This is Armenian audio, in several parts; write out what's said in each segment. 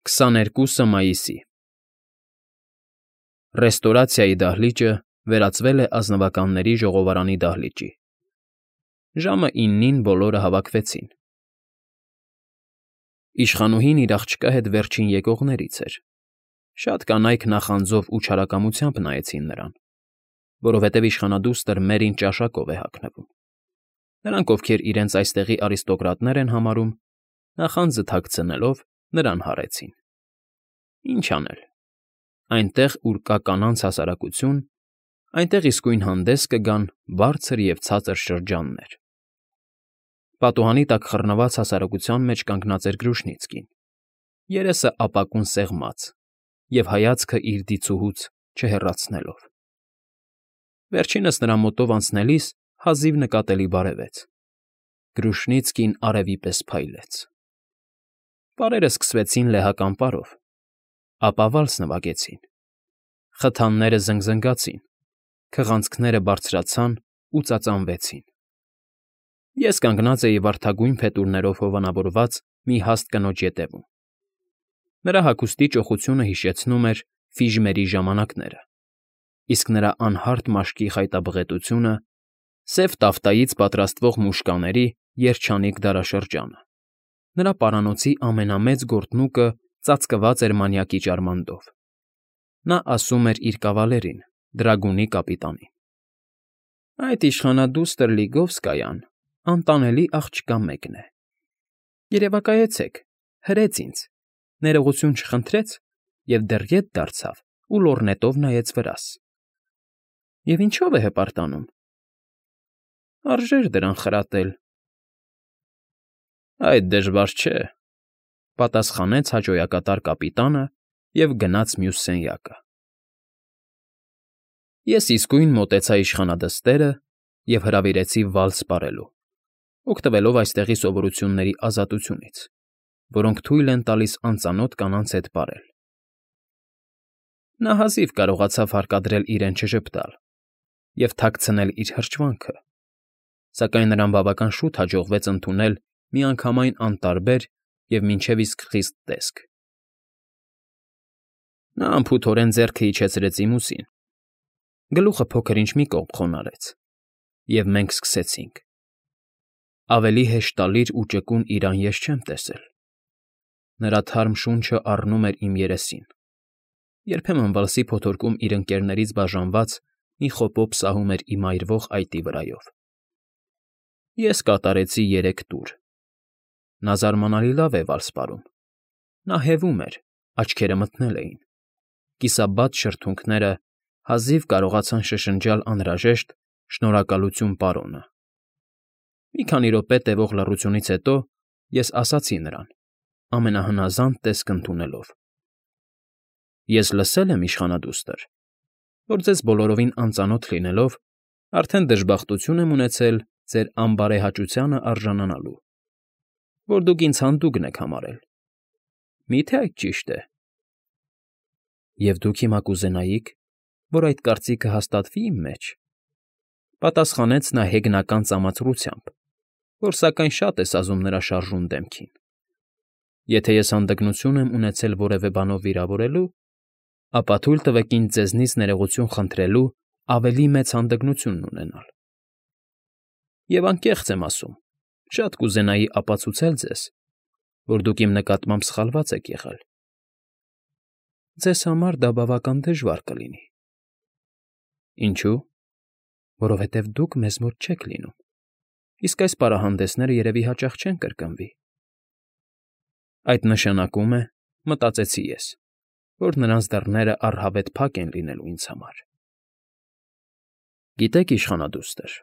22 մայիսի Ռեստորացիայի դահլիճը վերածվել է ազնվականների ժողովարանի դահլիճի։ Ժամը 9-ին բոլորը հավաքվեցին։ Իշխանուհին իր աղջկա հետ վերջին եկողներից էր։ Շատ կանայք նախանձով ու չարակամությամբ նայեցին նրան, որովհետև իշխանադուստր Մերին ճաշակով է հագնվում։ Նրանք, ովքեր իրենց այստեղի արիստոկրատներ են համարում, նախանձը թաքցնելով, նրան հարեցին։ Ինչ անել։ Այնտեղ, ուր կա կանանց հասարակություն, այնտեղ իսկույն հանդես կգան բարձր և ցածր շրջաններ։ Պատուհանի տակ խռնված հասարակության մեջ կանգնած էր Գրուշնիցկին, երեսը ապակուն սեղմած և հայացքը իր դիցուհուց չհեռացնելով։ Վերջինս նրա մոտով անցնելիս հազիվ նկատելի բարևեց։ Գրուշնիցկին արևի պես փայլեց։ Պարերը սկսվեցին լեհական պարով, ապա վալս նվագեցին։ Խթանները զնգզնգացին, քղանցքները բարձրացան ու ծածանվեցին։ Ես կանգնած էի վարդագույն փետուրներով հովանավորված մի հաստ կնոջ ետևում։ Նրա հագուստի ճոխությունը հիշեցնում էր ֆիժմերի ժամանակները, իսկ նրա անհարթ մաշկի խայտաբղետությունը՝ սև տաֆտայից պատրաստվող մուշկաների երջանիկ դարաշրջանը։ Նրա պարանոցի ամենամեծ գործնուկը ծածկված էր մանյակի ճարմանդով։ Նա ասում էր իր կավալերին, դրագունի կապիտանին. «Այդ իշխանադուստր Լիգովսկայան անտանելի աղջկա մեկն է։ Երևակայեցեք, հրեց ինձ, ներողություն չխնդրեց և դեռ ետ դարձավ ու լոռնետով նայեց վրաս։ Եվ ինչո՞վ է հպարտանում։ Արժեր դրան խրատել»։ «Այդ դժվար չէ», պատասխանեց հաճոյակատար կապիտանը և գնաց մյուս սենյակը։ Ես իսկույն մոտեցա իշխանադստերը և հրավիրեցի վալս պարելու, օգտվելով այստեղի սովորությունների ազատությունից, որոնք թույլ են տալիս անծանոթ կանանց հետ պարել։ Նա հազիվ կարողացավ հարկադրել իրեն չժպտալ և թաքցնել իր հրճվանքը, սակայն նրան բավական շուտ հաջողվեց ընդունել միանգամայն անտարբեր և մինչև իսկ խիստ տեսք։ Նա անփութորեն ձեռքը իջեցրեց իմ ուսին, գլուխը փոքր֊ինչ մի կողմ խոնարհեց, և մենք սկսեցինք։ Ավելի հեշտալիր ու ճկուն իրան ես չեմ տեսել։ Նրա թարմ շունչը առնում էր իմ երեսին, երբեմն վալսի փոթորկում իր ընկներներից բաժանված մի խոպոպ սահում էր իմ այրվող այտի վրայով։ Ես կատարեցի 3 տուր։ Նա զարմանալի լավ է վալս պարում։ Նա հևում էր, աչքերը մթնել էին։ Կիսաբաց շրթունքները հազիվ կարողացան շշնջալ անհրաժեշտ «Շնորհակալություն, պարոնը»։ Մի քանի րոպե տևող լռությունից հետո ես ասացի նրան, ամենահնազանդ տեսք ընդունելով. «Ես լսել եմ, իշխանադուստր, որ ձեզ բոլորովին անծանոթ լինելով, արդեն դժբախտություն եմ ունեցել ձեր անբարեհաճությանը արժանանալու, որ դուք ինձ հանդուգն եք համարել։ Մի՞թե այդ ճիշտ է։ Եվ դուք հիմա կուզենայիք, որ այդ կարծիքը հաստատվի՞ իմ մեջ», պատասխանեց նա հեգնական ծամացրությամբ, որ սակայն շատ է սազում նրա շարժուն դեմքին։ «Եթե ես հանդգնություն եմ ունեցել որևէ բանով վիրավորելու, ապա թույլ տվեք ինձ ձեզնից ներողություն խնդրելու ավելի մեծ հանդգնությունն ունենալ։ Եվ անկեղծ եմ ասում, շատ կուզենայի ապացուցել ձեզ, որ դուք իմ նկատմամբ սխալված եք եղել։ Ձեզ համար դա բավական դժվար կլինի։ Ինչո՞ւ։ Որովհետև դուք մեզ մոտ չեք լինում, իսկ այս պարահանդեսները երևի հաճախ չեն կրկնվի։ Այդ նշանակում է, մտածեցի ես, որ նրանց դռները առհավետ փակ են լինելու ինձ համար։ Գիտեք, իշխանադուստր,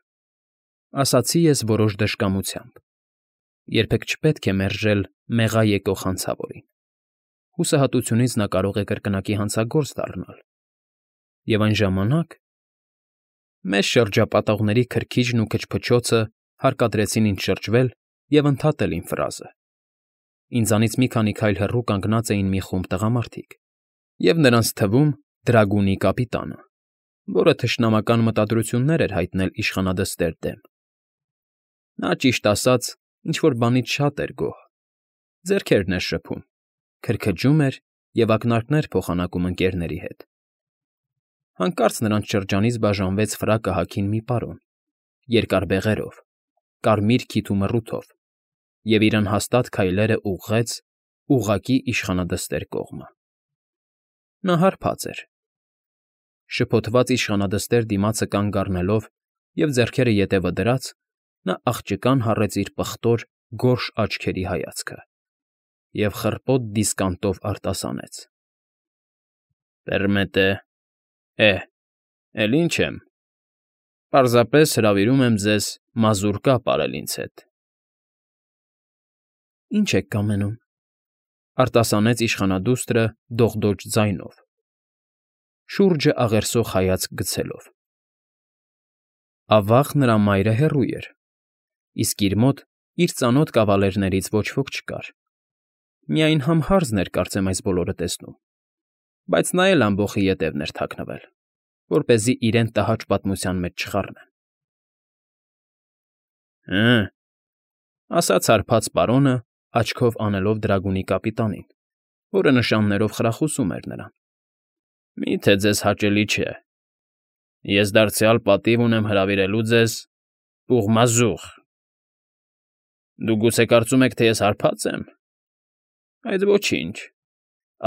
ասացի ես որոշ դժկամությամբ, երբեք չպետք է մերժել մեղա եկող հանցավորին։ Հուսահատությունից նա կարող է կրկնակի հանցագործ դառնալ։ Եվ այն ժամանակ… Մեզ շրջապատողների քրքիջն ու քչփչոցը հարկադրեցին ինձ շրջվել և ընդհատել իմ ֆրազը։ Ինձանից մի քանի քայլ հեռու կանգնած էին մի խումբ տղամարդիկ, և նրանց թվում դրագունի կապիտանը, որը թշնամական մտադրություններ էր հայտնել իշխանադստեր դեմ։ Նա, ճիշտ ասած, ինչ֊որ բանից շատ էր գոհ, ձեռքերն էր շփում, քրքջում էր և ակնարկներ փոխանակում ընկերների հետ։ Հանկարծ նրանց շրջանից բաժանվեց ֆրակը հագին մի պարոն, երկար բեղերով, կարմիր քիթ ու մռութով, և իր անհաստատ քայլերը ուղղեց ուղղակի իշխանադստեր կողմը։ Նա հարբած էր։ Շփոթված իշխանադստեր դիմացը կանգ առնելով և ձեռքերը ետևը դրած, նա աղջկան հառեց իր պղտոր, գորշ աչքերի հայացքը և խռպոտ դիսկանտով արտասանեց. ֊ Պերմետե, էլ ինչ եմ, պարզապես հրավիրում եմ ձեզ մազուրկա պարել ինձ հետ։ ֊ Ի՞նչ եք կամենում,֊ արտասանեց իշխանադուստրը դողդոջ ձայնով, շուրջը աղերսող հայացք գցելով։ Ավաղ նրա մայրը հեռու էր, իսկ իր մոտ իր ծանոթ կավալերներից ոչ ոք չկար. միայն համ հարձն էր կարծեմ այս բոլորը տեսնում, բայց նա էլ ամբոխի ետևն էր թաքնվել, որպեսզի իրեն տհաճ պատմության մեջ չխառնեն։ ֊ Հը,֊ ասաց հարբած պարոնը, աչքով անելով դրագունի կապիտանին, որը նշաններով խրախուսում էր նրան։ ֊ Մի՞թե ձեզ հաճելի չէ։ Ես դարձյալ պատիվ ունեմ հրավիրելու ձեզ պուղմազուղ։ Դուք գուցե կարծում եք, թե ես հարբած եմ, այդ ոչինչ,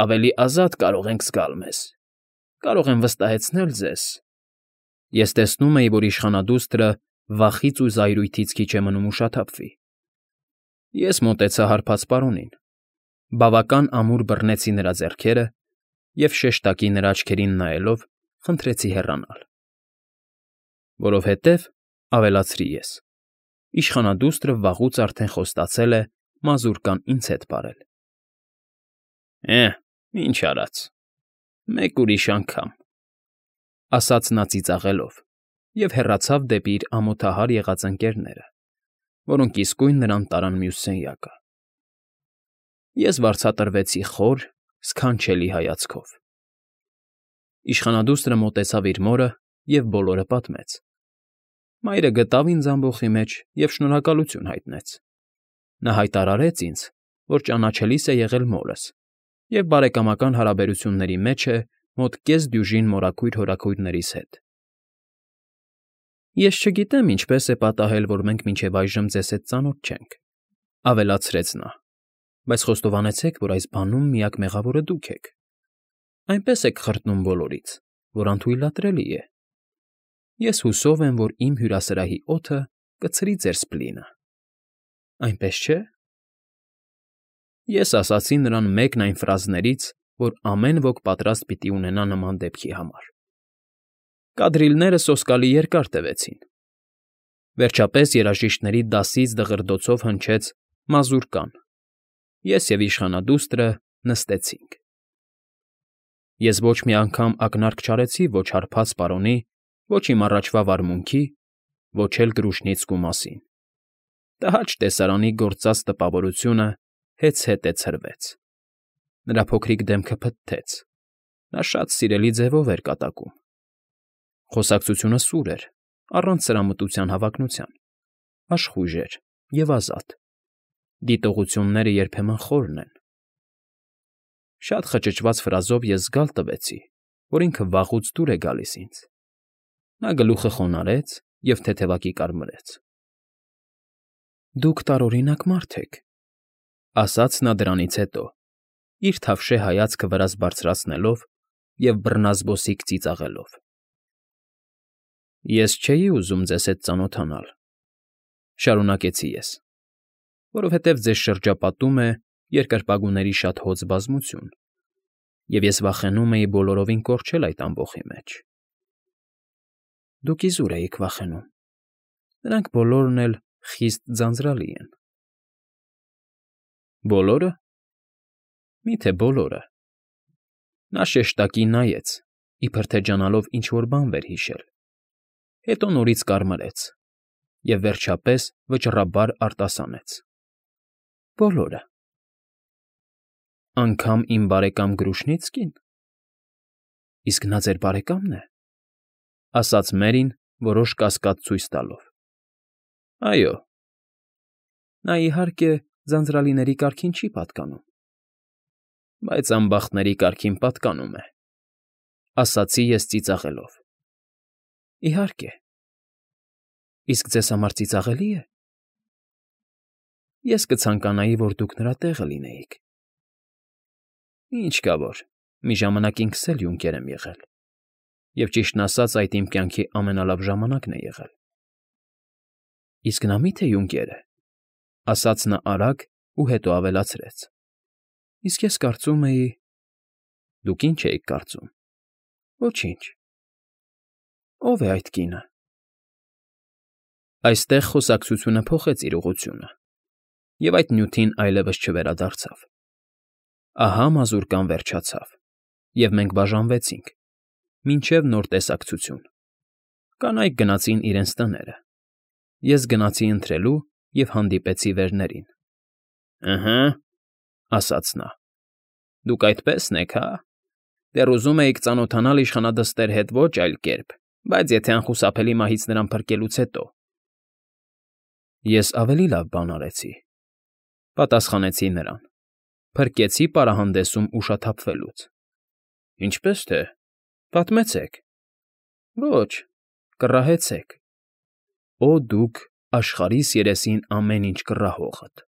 ավելի ազատ կարող ենք զգալ մեզ, կարող եմ վստահեցնել ձեզ… Ես տեսնում էի, որ իշխանադուստրը վախից ու զայրույթից քիչ է մնում ուշաթափվի։ Ես մոտեցա հարբած պարոնին, բավական ամուր բռնեցի նրա ձեռքերը և շեշտակի նրա աչքերին նայելով խնդրեցի հեռանալ։ Որովհետև, ավելացրի ես, իշխանադուստրը վաղուց արդեն խոստացել է մազուրկան ինձ հետ պարել։ ֊ Ինչ արած, մեկ ուրիշ անգամ,֊ ասաց նա ծիծաղելով և հեռացավ դեպի իր ամոթահար եղած ընկերները, որոնք իսկույն նրան տարան մյուս սենյակը։ Ես վարձատրվեցի խոր, սքանչելի հայացքով։ Իշխանադուստրը մոտեցավ իր մորը և բոլորը պատմեց։ Մայրը գտավ ինձ ամբոխի մեջ և շնորհակալություն հայտնեց։ Նա հայտարարեց ինձ, որ ճանաչելիս է եղել մորս և բարեկամական հարաբերությունների մեջ է մոտ կես դյուժին մորաքույր հորաքույրներիս հետ։ ֊ Ես չգիտեմ ինչպես է պատահել, որ մենք մինչև այժմ ձեզ հետ ծանոթ չենք,֊ ավելացրեց նա,֊ բայց խոստովանեցեք, որ այս բանում միակ մեղավորը դուք եք։ Այնպես եք խրտնում բոլորից, որ անթույլատրելի է։ Ես հուսով եմ, որ իմ հյուրասրահի օդը կցրի ձեր սպլինը։ Այնպես չէ՞… Ես ասացի նրան մեկն այն ֆրազներից, որ ամեն ոք պատրաստ պիտի ունենա նման դեպքի համար։ Կադրիլները սոսկալի երկար տևեցին։ Վերջապես երաժիշտների դասից դղրդոցով հնչեց մազուրկան, ես և իշխանադուստրը նստեցինք։ Ես ոչ մի անգամ ակնարկ չարեցի ոչ հարբած պարոնի, ոչ իմ առաջվա վարմունքի, ոչ էլ Կրուշնիցկու մասին։ Տհաճ տեսարանի գործած տպավորությունը հեծհետե ցրվեց։ Նրա փոքրիկ դեմքը փթթեց, նա շատ սիրելի ձևով էր կատակում։ Խոսակցությունը սուր էր, առանց սրամտության հավակնության, աշխույժ էր և ազատ։ Դիտողությունները երբեմն խորն են։ Շատ խճճված ֆրազով ես զգալ տվեցի, որ ինքը վաղուց դուր է գալիս ինձ։ Նա գլուխը խոնարհեց և թեթևակի կարմրեց։ ֊ Դուք տարօրինակ մարդ եք,֊ ասաց նա դրանից հետո, իր թավշե հայացքը վրաս բարձրացնելով և բռնազբոսիկ ծիծաղելով։ ֊ Ես չէի ուզում ձեզ հետ ծանոթանալ,֊ շարունակեցի ես,֊ որովհետև ձեզ շրջապատում է երկրպագուների շատ հոծ բազմություն, և ես վախենում էի բոլորովին կորչել այդ ամբոխի մեջ։ ֊ Դուք իզուր էիք վախենում, նրանք բոլորն էլ խիստ ձանձրալի են։ ֊ Բոլորը… Մի՞թե բոլորը… Նա շեշտակի նայեց, իբր թե ջանալով ինչ֊որ բան վեր հիշել, հետո նորից կարմրեց և, վերջապես, վճռաբար արտասանեց. ֊ Բոլորը… Անգամ իմ բարեկամ Կրուշնիցկի՞ն։ ֊ Իսկ նա ձեր բարեկա՞մն է,֊ ասաց Մերին որոշ կասկած ցույց տալով։ ֊ Այո։ ֊ Նա, իհարկե, ձանձրալիների կարգին չի պատկանում։ Բայց ամբախտների կարգին պատկանում է, ասացի ես ծիծաղելով։ Իհարկե։ Իսկ ձեզ համար ծիծաղելի է։ Ես կցանկանայի, որ դուք նրա տեղը լինեիք։ Ինչ կա որ, մի ժամանակ ինքս էլ յունկեր եմ եղել, և ճիշտն ասած այդ իմ կյանքի ամենալավ ժամանակն է եղել։ Իսկ նա մի՞թե յունկեր է,֊ ասաց նա արագ ու հետո ավելացրեց։ Իսկ ես կարծում էի… Դուք ի՞նչ էիք կարծում։ Ոչինչ։ Ո՞վ է այդ կինը։ Այստեղ խոսակցությունը փոխեց իր ուղղությունը, և այդ նյութին այլևս չվերադարձավ։ Ահա մազուրկան վերջացավ, և մենք բաժանվեցինք, մինչև նոր տեսակցություն։ Կանայք գնացին իրենց տները։ Ես գնացի ընթրելու և հանդիպեցի վերներին։ Ըհը,֊ ասաց նա։ Դուք այդպե՞սն եք, հա։ Դեռ ուզում էիք ծանոթանալ իշխանադստեր հետ ոչ այլ կերպ, բայց եթե անխուսափելի մահից նրան փրկելուց հետո։ Ես ավելի լավ բան արեցի,֊ պատասխանեցի նրան։ Փրկեցի պարահանդեսում ուշաթափվելուց։ Ինչպե՞ս թե, պատմեցեք։ Ոչ, կռահեցեք։ Օ դուք աշխարհիս երեսին ամեն ինչ կռահողդ։